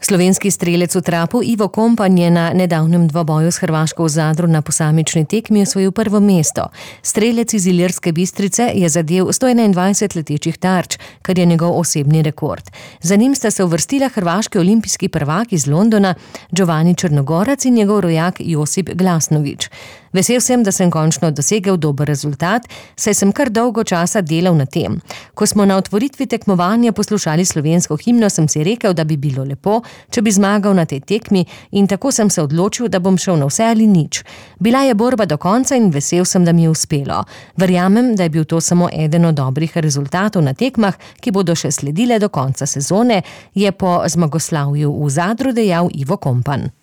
Slovenski strelec v trapu Ivo Kompan je na nedavnem dvoboju s Hrvaško v Zadru na posamični tekmi osvojil prvo mesto. Strelec iz Ilirske Bistrice je zadel 121 letečih tarč, kar je njegov osebni rekord. Za njim sta se uvrstila hrvaški olimpijski prvak iz Londona Giovanni Črnogorac in njegov rojak Josip Glasnović. Vesel sem, da sem končno dosegel dober rezultat, saj sem kar dolgo časa delal na tem. Ko smo na otvoritvi tekmovanja poslušali slovensko himno, sem si rekel, da bi bilo lepo, če bi zmagal na tej tekmi, in tako sem se odločil, da bom šel na vse ali nič. Bila je borba do konca in vesel sem, da mi je uspelo. Verjamem, da je bil to samo eden od dobrih rezultatov na tekmah, ki bodo še sledile do konca sezone, je po zmagoslavju v Zadru dejal Ivo Kompan.